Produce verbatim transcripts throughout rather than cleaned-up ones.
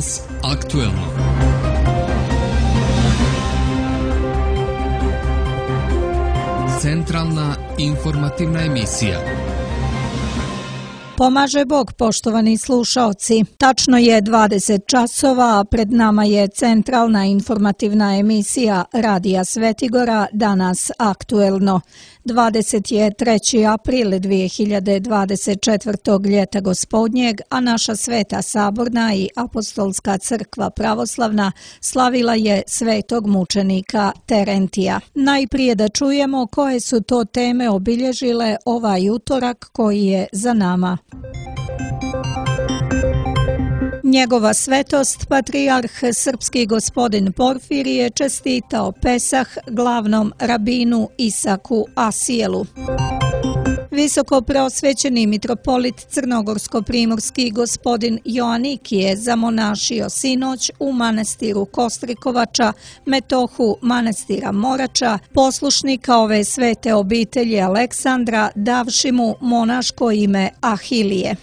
Danas aktuelno. Centralna informativna emisija. Pomaže Bog, poštovani slušaoci. Tačno je dvadeset časova, a pred nama je centralna informativna emisija Radija Svetigora, Danas aktuelno. dvadeset treći april dvije hiljade dvadeset četvrte. ljeta gospodnjeg, a naša Sveta Saborna i Apostolska crkva pravoslavna slavila je svetog mučenika Terentija. Najprije da čujemo koje su to teme obilježile ovaj utorak koji je za nama. Njegova svetost, patrijarh srpski gospodin Porfirije, čestitao Pesah glavnom rabinu Isaku Asijelu. Visoko preosvećeni mitropolit crnogorsko-primorski gospodin Joanikije zamonašio sinoć u manastiru Kostrikovača, metohu manastira Morača, poslušnika ove svete obitelji Aleksandra, davši mu monaško ime Ahilije.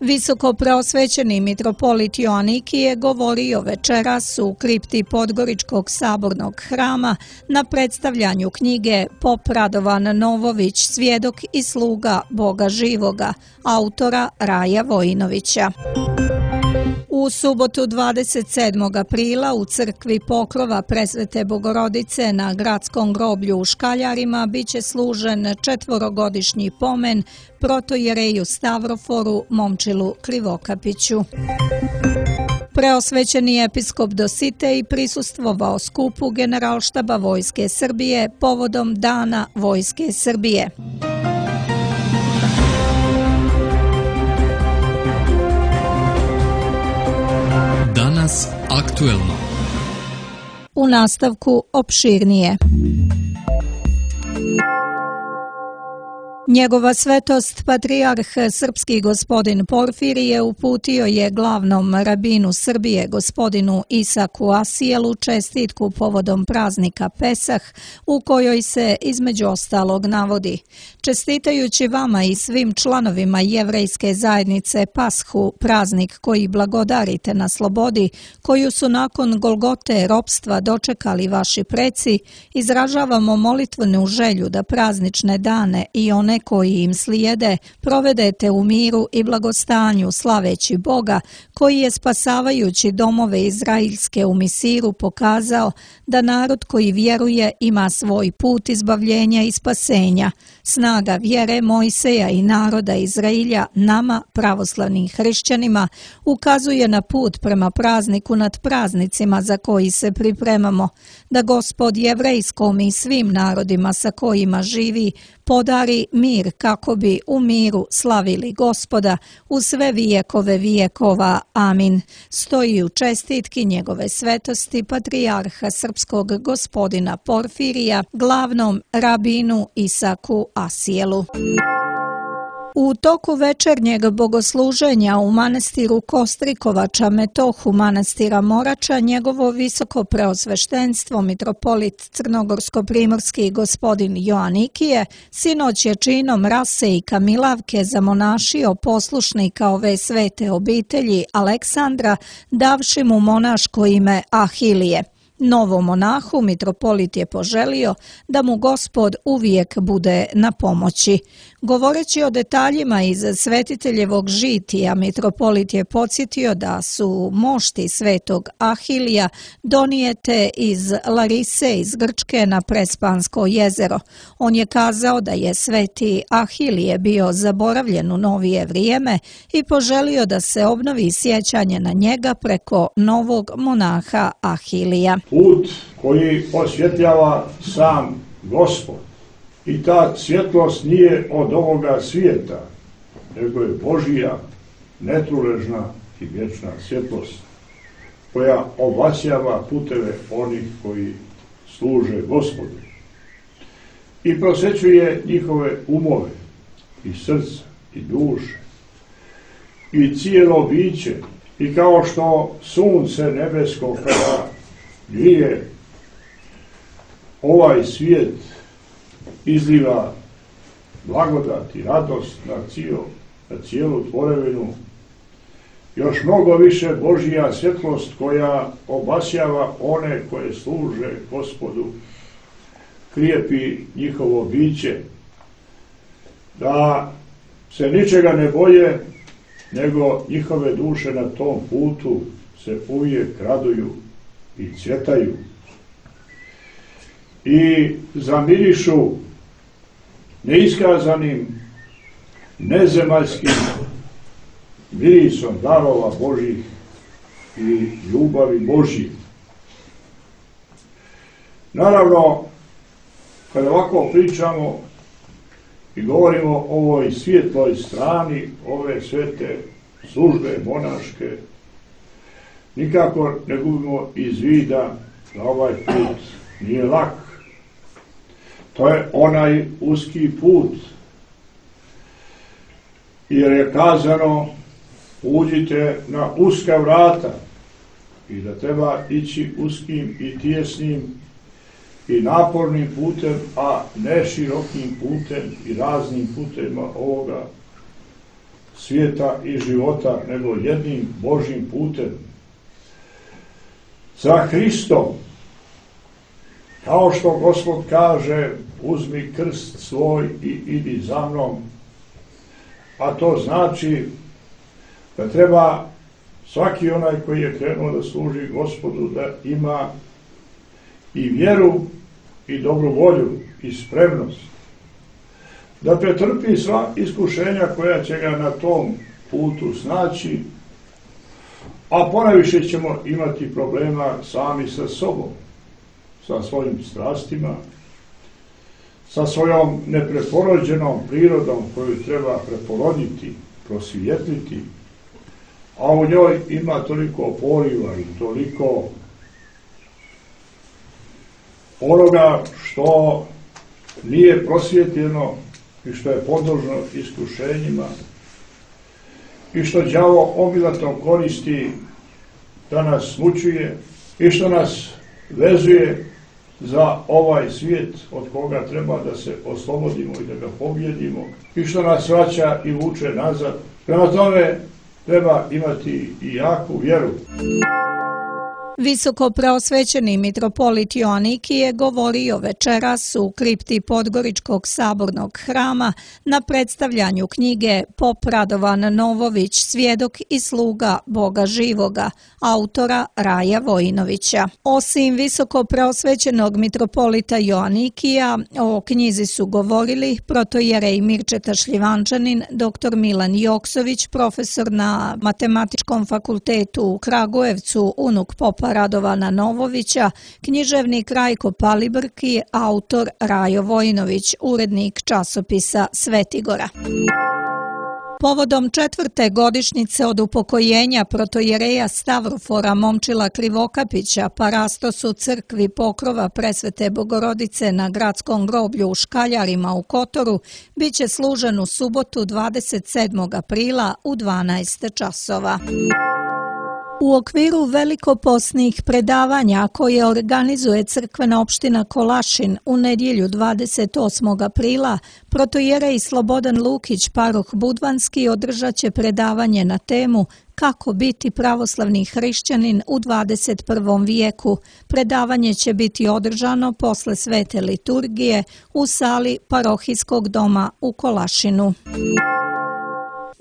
Visoko preosvećeni mitropolit Joanikije govorio večeras u kripti Podgoričkog sabornog hrama na predstavljanju knjige Pop Radovan Novović, svjedok i sluga Boga živoga, autora Raja Vojinovića. U subotu dvadeset sedmog aprila u crkvi Pokrova Presvete Bogorodice na gradskom groblju u Škaljarima biće služen četvorogodišnji pomen protojereju Stavroforu Momčilu Krivokapiću. Preosvećeni episkop Dositej prisustvovao skupu Generalštaba Vojske Srbije povodom Dana Vojske Srbije. Danas aktuelno. U nastavku opširnije. Njegova svetost, patrijarh srpski gospodin Porfirije, uputio je glavnom rabinu Srbije gospodinu Isaku Asijelu čestitku povodom praznika Pesah, u kojoj se između ostalog navodi: čestitajući vama i svim članovima jevrejske zajednice Pashu, praznik koji blagodarite na slobodi, koju su nakon Golgote ropstva dočekali vaši preci, izražavamo molitvenu želju da praznične dane i one koji im slijede provedete u miru i blagostanju, slaveći Boga koji je spasavajući domove izraelske u Misiru pokazao da narod koji vjeruje ima svoj put izbavljenja i spasenja. Snaga vjere Mojseja i naroda Izraelja nama, pravoslavnim hrišćanima, ukazuje na put prema prazniku nad praznicima za koji se pripremamo, da Gospod jevrejskom i svim narodima sa kojima živi podari mir kako bi u miru slavili Gospoda u sve vijekove vijekova. Amin. Stoji u čestitki njegove svetosti patrijarha srpskog gospodina Porfirija, glavnom rabinu Isaku Asijelu. U toku večernjeg bogosluženja u manastiru Kostrikovača, metohu manastira Morača, njegovo visoko preosveštenstvo mitropolit crnogorsko-primorski gospodin Joanikije sinoć je činom rase i kamilavke zamonašio poslušnika ove svete obitelji Aleksandra, davši mu monaško ime Ahilije. Novom monahu mitropolit je poželio da mu Gospod uvijek bude na pomoći. Govoreći o detaljima iz svetiteljevog žitija, mitropolit je podsjetio da su mošti svetog Ahilija donijete iz Larise iz Grčke na Prespansko jezero. On je kazao da je sveti Ahilije bio zaboravljen u novije vrijeme i poželio da se obnovi sjećanje na njega preko novog monaha Ahilija. Put koji osvjetljava sam Gospod. I ta svjetlost nije od ovoga svijeta, nego je Božija, netruležna i vječna svjetlost, koja obasjava puteve onih koji služe Gospodu i prosvećuje njihove umove i srca i duše i cijelo biće. I kao što sunce nebesko kada grije ovaj svijet, izliva blagodat i radost na, cijel, na cijelu tvorevinu, još mnogo više Božja svjetlost koja obasjava one koje služe Gospodu, krijepi njihovo biće, da se ničega ne boje, nego njihove duše na tom putu se uvijek raduju i cvjetaju i zamirišu neiskazanim, nezemaljskim mirisom darova Božih i ljubavi Božji. Naravno, kada ovako pričamo i govorimo o ovoj svijetloj strani ove svete službe monaške, nikako ne gubimo iz vida da ovaj put nije lak. To je onaj uski put, jer je kazano uđite na uska vrata i da treba ići uskim i tijesnim i napornim putem, a ne širokim putem i raznim putevima ovoga svijeta i života, nego jednim Božjim putem. Za Hristom, kao što Gospod kaže, uzmi krst svoj i idi za mnom, a to znači da treba svaki onaj koji je krenuo da služi Gospodu da ima i vjeru i dobru volju i spremnost, da pretrpi sva iskušenja koja će ga na tom putu snaći, a ponajviše ćemo imati problema sami sa sobom, sa svojim strastima, sa svojom nepreporođenom prirodom koju treba preporoditi, prosvijetliti, a u njoj ima toliko poriva i toliko onoga što nije prosvjetljeno i što je podložno iskušenjima i što đavo obilato koristi da nas mučuje i što nas vezuje za ovaj svijet od koga treba da se oslobodimo i da ga pobjedimo i što nas vraća i vuče nazad. Prema tome treba imati i jaku vjeru. Visoko preosvećeni mitropolit Joaniki je govorio večeras u kripti Podgoričkog sabornog hrama na predstavljanju knjige Pop Radovan Novović, svjedok i sluga Boga živoga, autora Raja Vojinovića. Osim visoko preosvećenog mitropolita Joanikija, o knjizi su govorili protojerej Mirčeta Šljivančanin, doktor Milan Joksović, profesor na Matematičkom fakultetu u Kragujevcu, unuk popa Radovana Novovića, književnik Rajko Palibrk i autor Rajo Vojinović, urednik časopisa Svetigora. Povodom četvrte godišnjice od upokojenja protojereja Stavrofora Momčila Krivokapića parastos u crkvi Pokrova Presvete Bogorodice na gradskom groblju u Škaljarima u Kotoru biće služen u subotu dvadeset sedmog aprila u dvanaest časova. U okviru velikoposnih predavanja koje organizuje crkvena opština Kolašin u nedjelju dvadeset osmog aprila, protojerej Slobodan Lukić, paroh Budvanski, održat će predavanje na temu Kako biti pravoslavni hrišćanin u dvadeset prvom vijeku. Predavanje će biti održano posle svete liturgije u sali parohijskog doma u Kolašinu.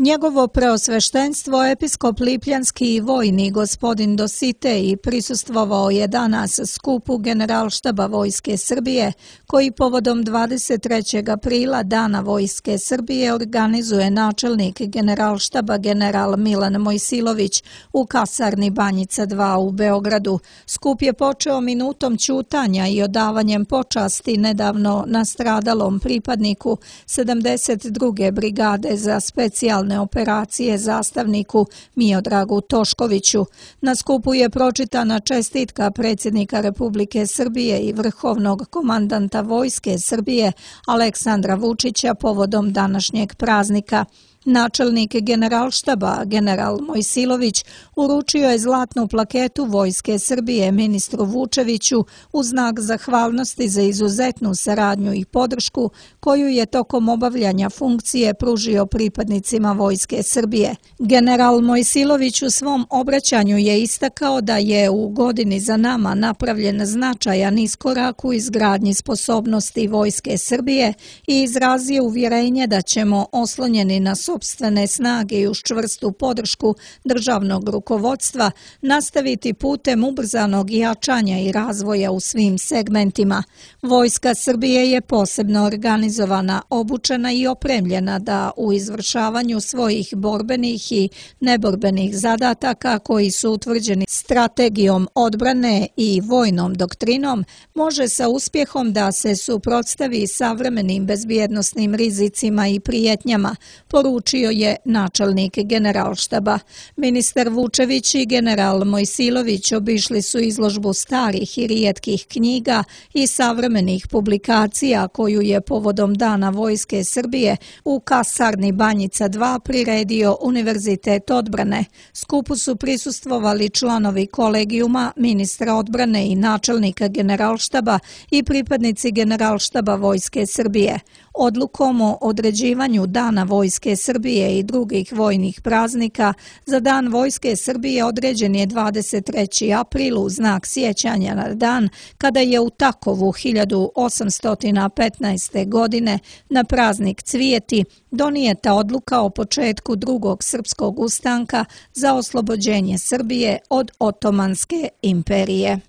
Njegovo preosveštenstvo episkop Lipljanski i vojni gospodin Dositej prisustvovao je danas skupu Generalštaba Vojske Srbije, koji povodom dvadeset trećeg aprila Dana Vojske Srbije organizuje načelnik Generalštaba general Milan Mojsilović u kasarni Banjica dva u Beogradu. Skup je počeo minutom ćutanja i odavanjem počasti nedavno nastradalom pripadniku sedamdeset druge brigade za specijalne operacije zastavniku Miodragu Toškoviću. Na skupu je pročitana čestitka predsjednika Republike Srbije i vrhovnog komandanta Vojske Srbije Aleksandra Vučića povodom današnjeg praznika. Načelnik Generalštaba, general Mojsilović, uručio je zlatnu plaketu Vojske Srbije ministru Vučeviću u znak zahvalnosti za izuzetnu saradnju i podršku koju je tokom obavljanja funkcije pružio pripadnicima Vojske Srbije. General Mojsilović u svom obraćanju je istakao da je u godini za nama napravljen značajan iskorak u izgradnji sposobnosti Vojske Srbije i izrazio uvjerenje da ćemo oslonjeni na sopstvene snage i uz čvrstu podršku državnog rukovodstva nastaviti putem ubrzanog jačanja i razvoja u svim segmentima. Vojska Srbije je posebno organizovana, obučena i opremljena da u izvršavanju svojih borbenih i neborbenih zadataka koji su utvrđeni strategijom odbrane i vojnom doktrinom može sa uspjehom da se suprotstavi savremenim bezbjednosnim rizicima i prijetnjama, poručio je načelnik Generalštaba. Ministar Vučević i general Mojsilović obišli su izložbu starih i rijetkih knjiga i savremenih publikacija koju je povodom Dana Vojske Srbije u kasarni Banjica dva priredio Univerzitet odbrane. Skupu su prisustvovali članovi kolegijuma, ministra odbrane i načelnika Generalštaba i pripadnici Generalštaba Vojske Srbije. Odlukom o određivanju Dana Vojske Srbije i drugih vojnih praznika za Dan Vojske Srbije određen je dvadeset treći april u znak sjećanja na dan kada je u Takovu hiljadu osamsto petnaeste. godine na praznik Cvijeti donijeta odluka o početku drugog srpskog ustanka za oslobođenje Srbije od Otomanske imperije.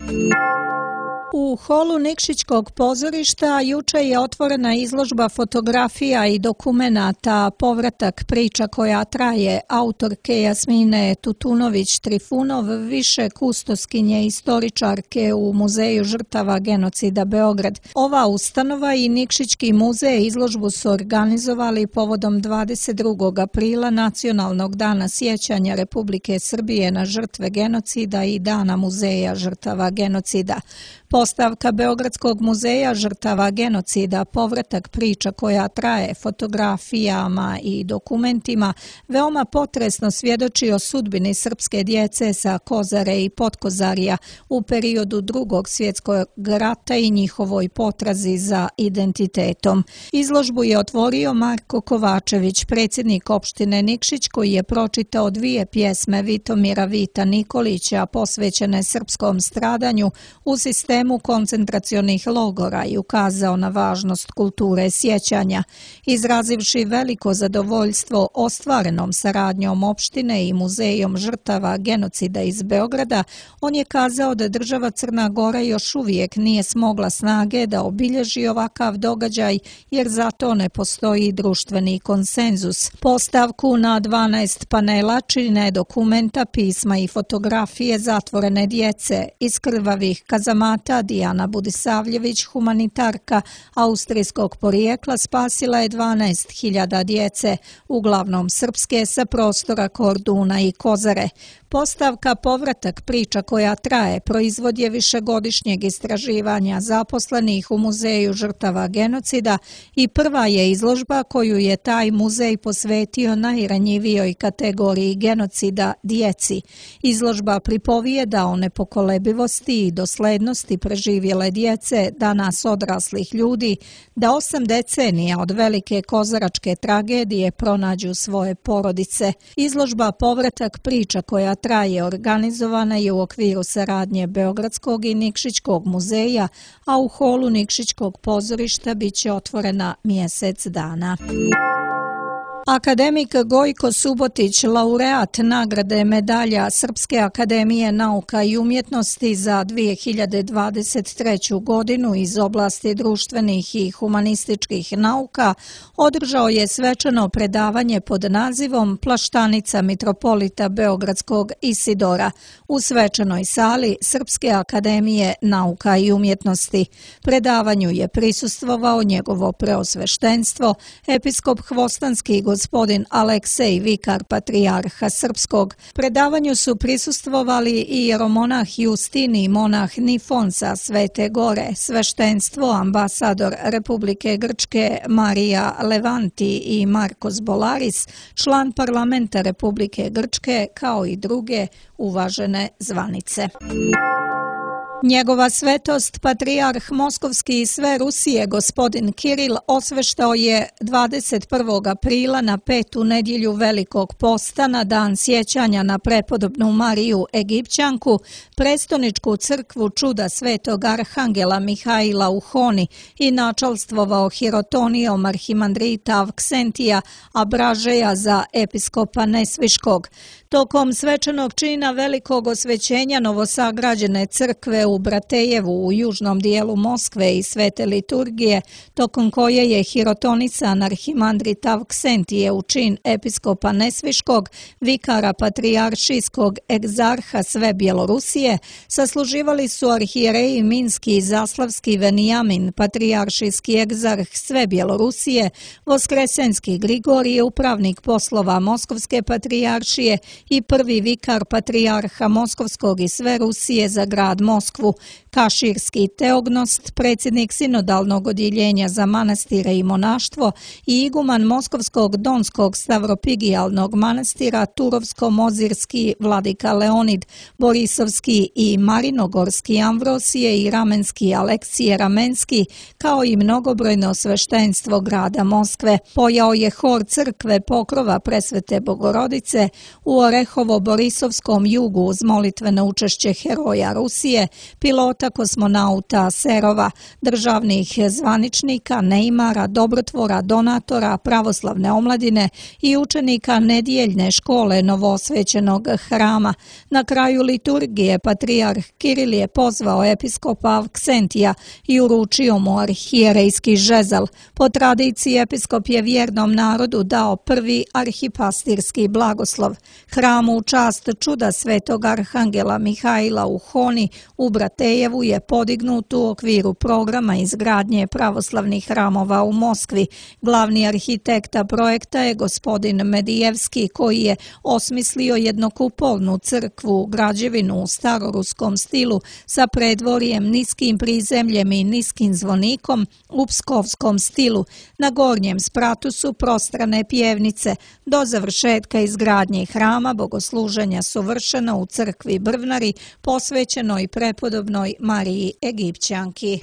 U holu Nikšićkog pozorišta juče je otvorena izložba fotografija i dokumenata Povratak priča koja traje autorke Jasmine Tutunović-Trifunov, više kustoskinje istoričarke u Muzeju žrtava genocida Beograd. Ova ustanova i Nikšićki muzej izložbu su organizovali povodom dvadeset drugog aprila Nacionalnog dana sjećanja Republike Srbije na žrtve genocida i Dana muzeja žrtava genocida. Postavka Beogradskog muzeja žrtava genocida Povratak priča koja traje fotografijama i dokumentima veoma potresno svjedoči o sudbini srpske djece sa Kozare i Potkozarija u periodu Drugog svjetskog rata i njihovoj potrazi za identitetom. Izložbu je otvorio Marko Kovačević, predsjednik opštine Nikšić, koji je pročitao dvije pjesme Vitomira Vita Nikolića posvećene srpskom stradanju u sistemu koncentracionih logora i ukazao na važnost kulture sjećanja. Izrazivši veliko zadovoljstvo ostvarenom saradnjom opštine i Muzejom žrtava genocida iz Beograda, on je kazao da država Crna Gora još uvijek nije smogla snage da obilježi ovakav događaj jer za to ne postoji društveni konsenzus. Postavku na dvanaest panela čine dokumenta, pisma i fotografije zatvorene djece iz krvavih kazamata. Dijana Budisavljević, humanitarka austrijskog porijekla, spasila je dvanaest hiljada djece, uglavnom srpske, sa prostora Korduna i Kozare. Postavka Povratak priča koja traje proizvod je višegodišnjeg istraživanja zaposlenih u Muzeju žrtava genocida i prva je izložba koju je taj muzej posvetio najranjivijoj kategoriji genocida, djeci. Izložba pripovijeda o nepokolebivosti i doslednosti preživjele djece, danas odraslih ljudi, da osam decenija od velike kozaračke tragedije pronađu svoje porodice. Izložba Povratak priča koja traje organizovana je u okviru saradnje Beogradskog i Nikšićkog muzeja, a u holu Nikšićkog pozorišta biće otvorena mjesec dana. Akademik Gojko Subotić, laureat nagrade medalja Srpske akademije nauka i umjetnosti za dvije hiljade dvadeset treću. godinu iz oblasti društvenih i humanističkih nauka, održao je svečano predavanje pod nazivom Plaštanica mitropolita Beogradskog Isidora u svečanoj sali Srpske akademije nauka i umjetnosti. Predavanju je prisustvovao njegovo preosveštenstvo, episkop Hvostanski gospodin gospodin Aleksej, vikar patrijarha srpskog. Predavanju su prisustvovali i jeromonah Justini i monah Nifon sa Svete Gore, sveštenstvo, ambasador Republike Grčke Marija Levanti i Markos Bolaris, član parlamenta Republike Grčke, kao i druge uvažene zvanice. Njegova svetost, patrijarh Moskovski i sve Rusije, gospodin Kiril, osveštao je dvadeset prvog aprila na petu nedjelju Velikog posta, na dan sjećanja na prepodobnu Mariju Egipćanku, prestoničku crkvu čuda svetog arhangela Mihaila u Honi i načalstvovao hirotonijom arhimandrita Avksentija Abražeja za episkopa Nesviškog. Tokom svečanog čina velikog osvećenja novosagrađene crkve u Bratejevu u južnom dijelu Moskve i svete liturgije, tokom koje je hirotonisan arhimandrit Avksentije u čin episkopa Nesviškog, vikara patrijaršijskog egzarha sve Bjelorusije, sasluživali su arhijereji Minski i Zaslavski Venijamin, patrijaršijski egzarh sve Bjelorusije, Voskresenski Grigorije, upravnik poslova Moskovske patrijaršije i prvi vikar patrijarha Moskovskog i sve Rusije za grad Moskvu, Kaširski Teognost, predsjednik sinodalnog odjeljenja za manastire i monaštvo i iguman Moskovskog Donskog Stavropigijalnog manastira Turovsko-Mozirski vladika Leonid, Borisovski i Marinogorski Amvrosije i Ramenski Aleksije Ramenski, kao i mnogobrojno sveštenstvo grada Moskve. Pojao je hor crkve Pokrova Presvete Bogorodice u Orehovo-Borisovskom jugu uz molitveno učešće heroja Rusije, pilota kosmonauta Serova, državnih zvaničnika, neimara, dobrotvora, donatora, pravoslavne omladine i učenika nedjeljne škole novoosvećenog hrama. Na kraju liturgije patrijarh Kiril je pozvao episkopa Avksentija i uručio mu arhijerejski žezal. Po tradiciji episkop je vjernom narodu dao prvi arhipastirski blagoslov. Hram u čast čuda svetog arhangela Mihaila u Honi u Bratejevu je podignut u okviru programa izgradnje pravoslavnih hramova u Moskvi. Glavni arhitekta projekta je gospodin Medijevski, koji je osmislio jednokupolnu crkvu građevinu u staroruskom stilu sa predvorjem, niskim prizemljem i niskim zvonikom u pskovskom stilu. Na gornjem spratu su prostrane pjevnice. Do završetka izgradnje hrama bogosluženja su vršena u crkvi Brvnari, posvećenoj prepodobnoj Mariji Egipćanki.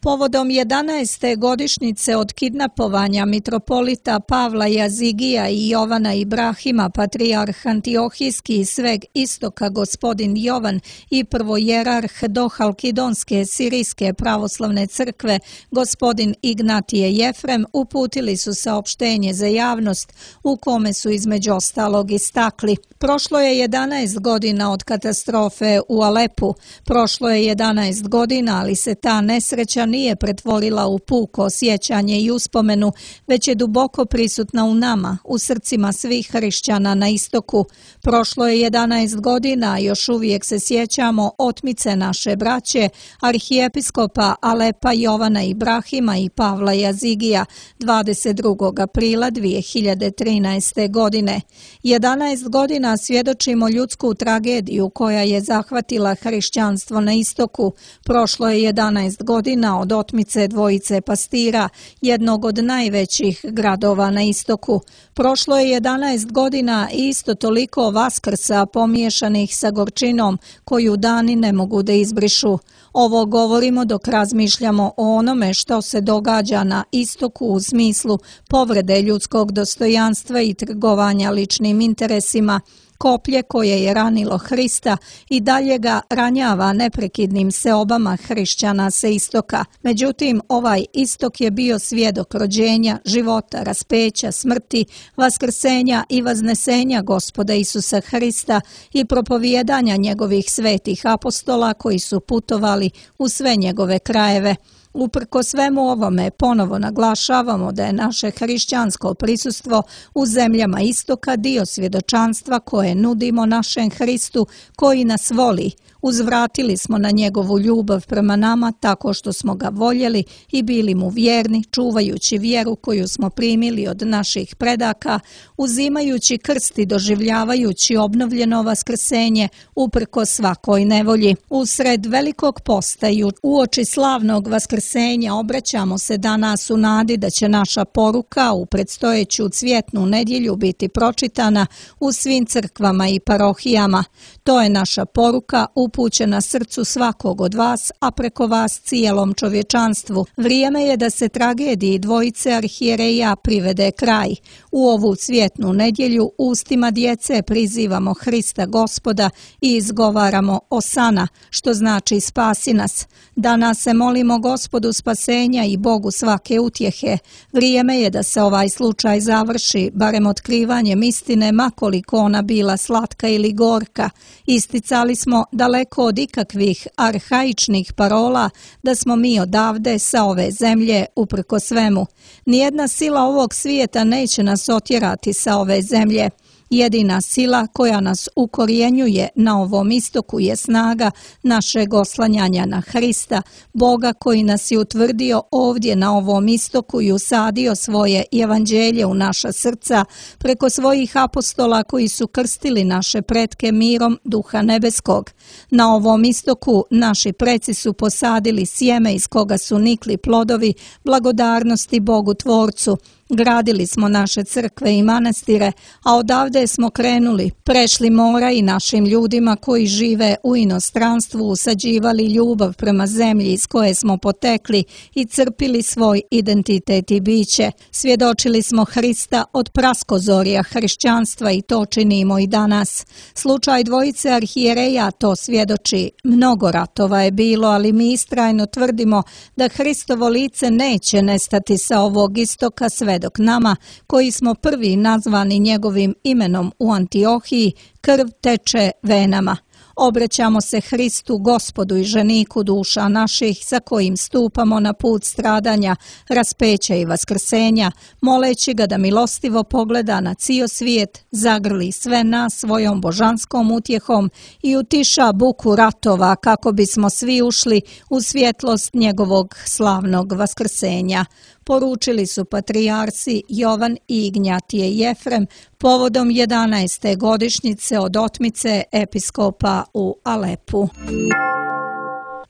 Povodom jedanaeste godišnjice od kidnapovanja mitropolita Pavla Jazigija i Jovana Ibrahima, patrijarh Antiohijski i sveg istoka gospodin Jovan i prvojerarh Dohalkidonske sirijske pravoslavne crkve gospodin Ignatije Jefrem uputili su saopštenje za javnost u kome su između ostalog istakli: prošlo je jedanaest godina od katastrofe u Alepu, prošlo je jedanaest godina, ali se ta nesreća nije pretvorila u puko sjećanje i uspomenu, već je duboko prisutna u nama, u srcima svih hrišćana na istoku. Prošlo je jedanaest godina, a još uvijek se sjećamo otmice naše braće, arhijepiskopa Alepa Jovana Ibrahima i Pavla Jazigija, dvadeset drugog aprila dvije hiljade trinaeste. godine. jedanaest godina svjedočimo ljudsku tragediju koja je zahvatila hrišćanstvo na istoku. Prošlo je jedanaest godina od otmice dvojice pastira, jednog od najvećih gradova na istoku. Prošlo je jedanaest godina i isto toliko vaskrsa pomiješanih sa gorčinom koju dani ne mogu da izbrišu. Ovo govorimo dok razmišljamo o onome što se događa na istoku u smislu povrede ljudskog dostojanstva i trgovanja ličnim interesima. Koplje koje je ranilo Hrista i dalje ga ranjava neprekidnim seobama hrišćana sa istoka. Međutim, ovaj istok je bio svjedok rođenja, života, raspeća, smrti, vaskrsenja i vaznesenja Gospoda Isusa Hrista i propovijedanja njegovih svetih apostola koji su putovali u sve njegove krajeve. Uprko svemu ovome ponovo naglašavamo da je naše hrišćansko prisustvo u zemljama istoka dio svjedočanstva koje nudimo našem Hristu koji nas voli. Uzvratili smo na njegovu ljubav prema nama tako što smo ga voljeli i bili mu vjerni, čuvajući vjeru koju smo primili od naših predaka, uzimajući krst i doživljavajući obnovljeno vaskrsenje uprko svakoj nevolji. Usred velikog posta i uoči slavnog vaskrsenja obraćamo se danas u nadi da će naša poruka u predstojeću cvjetnu nedjelju biti pročitana u svim crkvama i parohijama. To je naša poruka upućena srcu svakog od vas, a preko vas cijelom čovječanstvu. Vrijeme je da se tragediji dvojice arhijereja privede kraj. U ovu cvjetnu nedjelju ustima djece prizivamo Hrista Gospoda i izgovaramo Osana, što znači spasi nas. Danas se molimo Gospodu spasenja i Bogu svake utjehe. Vrijeme je da se ovaj slučaj završi, barem otkrivanjem istine, makoliko ona bila slatka ili gorka. Isticali smo daleko od ikakvih arhaičnih parola da smo mi odavde sa ove zemlje uprko svemu. Nijedna sila ovog svijeta neće nas otjerati sa ove zemlje. Jedina sila koja nas ukorjenjuje na ovom istoku je snaga našeg oslanjanja na Hrista, Boga koji nas je utvrdio ovdje na ovom istoku i usadio svoje evanđelje u naša srca preko svojih apostola koji su krstili naše pretke mirom Duha Nebeskog. Na ovom istoku naši preci su posadili sjeme iz koga su nikli plodovi blagodarnosti Bogu Tvorcu. Gradili smo naše crkve i manastire, a odavde smo krenuli, prešli mora i našim ljudima koji žive u inostranstvu usađivali ljubav prema zemlji iz koje smo potekli i crpili svoj identitet i biće. Svjedočili smo Hrista od praskozorja hrišćanstva i to činimo i danas. Slučaj dvojice arhijereja to svjedoči. Mnogo ratova je bilo, ali mi istrajno tvrdimo da Hristovo lice neće nestati sa ovog istoka sve dok nama, koji smo prvi nazvani njegovim imenom u Antiohiji, krv teče venama. Obraćamo se Hristu, Gospodu i ženiku duša naših, sa kojim stupamo na put stradanja, raspeća i vaskrsenja, moleći ga da milostivo pogleda na cijel svijet, zagrli sve nas svojom božanskom utjehom i utiša buku ratova kako bismo svi ušli u svjetlost njegovog slavnog vaskrsenja. Poručili su patrijarsi Jovan i Ignjatije Jefrem povodom jedanaeste godišnjice od otmice episkopa u Alepu.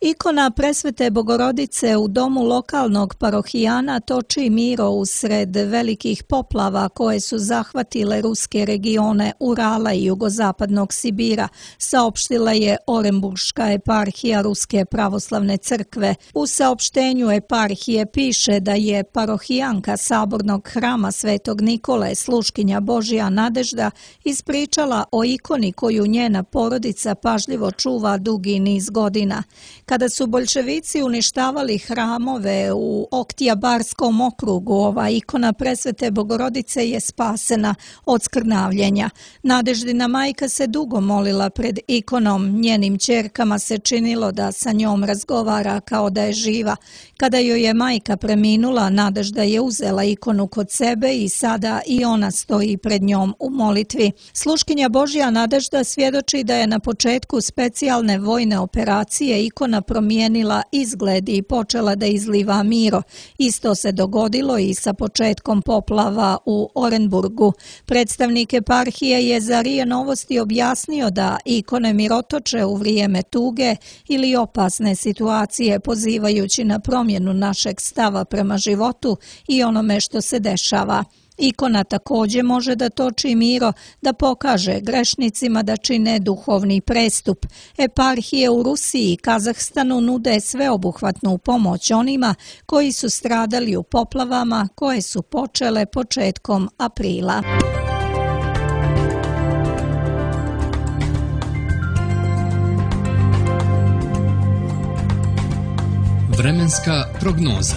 Ikona Presvete Bogorodice u domu lokalnog parohijana toči miro usred velikih poplava koje su zahvatile ruske regione Urala i jugozapadnog Sibira, saopštila je Orenburška eparhija Ruske pravoslavne crkve. U saopštenju eparhije piše da je parohijanka sabornog hrama Svetog Nikole, sluškinja Božja Nadežda, ispričala o ikoni koju njena porodica pažljivo čuva dugi niz godina. Kada su boljševici uništavali hramove u Oktijabarskom okrugu, ova ikona Presvete Bogorodice je spasena od skrnavljenja. Nadeždina majka se dugo molila pred ikonom, njenim ćerkama se činilo da sa njom razgovara kao da je živa. Kada joj je majka preminula, Nadežda je uzela ikonu kod sebe i sada i ona stoji pred njom u molitvi. Sluškinja Božja Nadežda svjedoči da je na početku specijalne vojne operacije ikona promijenila izgled i počela da izliva miro. Isto se dogodilo i sa početkom poplava u Orenburgu. Predstavnik eparhije je za R I A Novosti objasnio da ikone mirotoče u vrijeme tuge ili opasne situacije, pozivajući na promjenu našeg stava prema životu i onome što se dešava. Ikona također može da toči miro, da pokaže grešnicima da čine duhovni prestup. Eparhije u Rusiji i Kazahstanu nude sveobuhvatnu pomoć onima koji su stradali u poplavama koje su počele početkom aprila. Vremenska prognoza.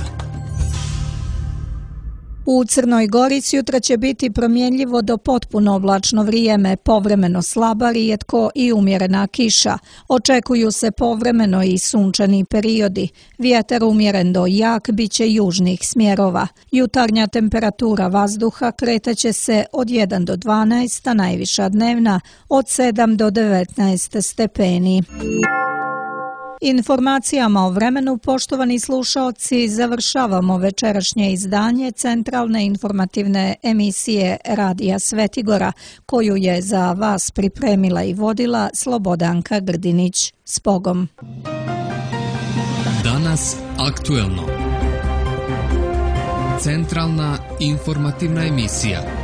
U Crnoj Gori sutra će biti promjenljivo do potpuno oblačno vrijeme, povremeno slaba, rijetko i umjerena kiša. Očekuju se povremeno i sunčani periodi. Vjetar umjeren do jak bit će južnih smjerova. Jutarnja temperatura vazduha kretaće se od jedan do dvanaest, a najviša dnevna od sedam do devetnaest stepeni. Informacijama o vremenu, poštovani slušaoci, završavamo večerašnje izdanje centralne informativne emisije Radija Svetigora, koju je za vas pripremila i vodila Slobodanka Grdinić. S Bogom! Danas aktuelno. Centralna informativna emisija.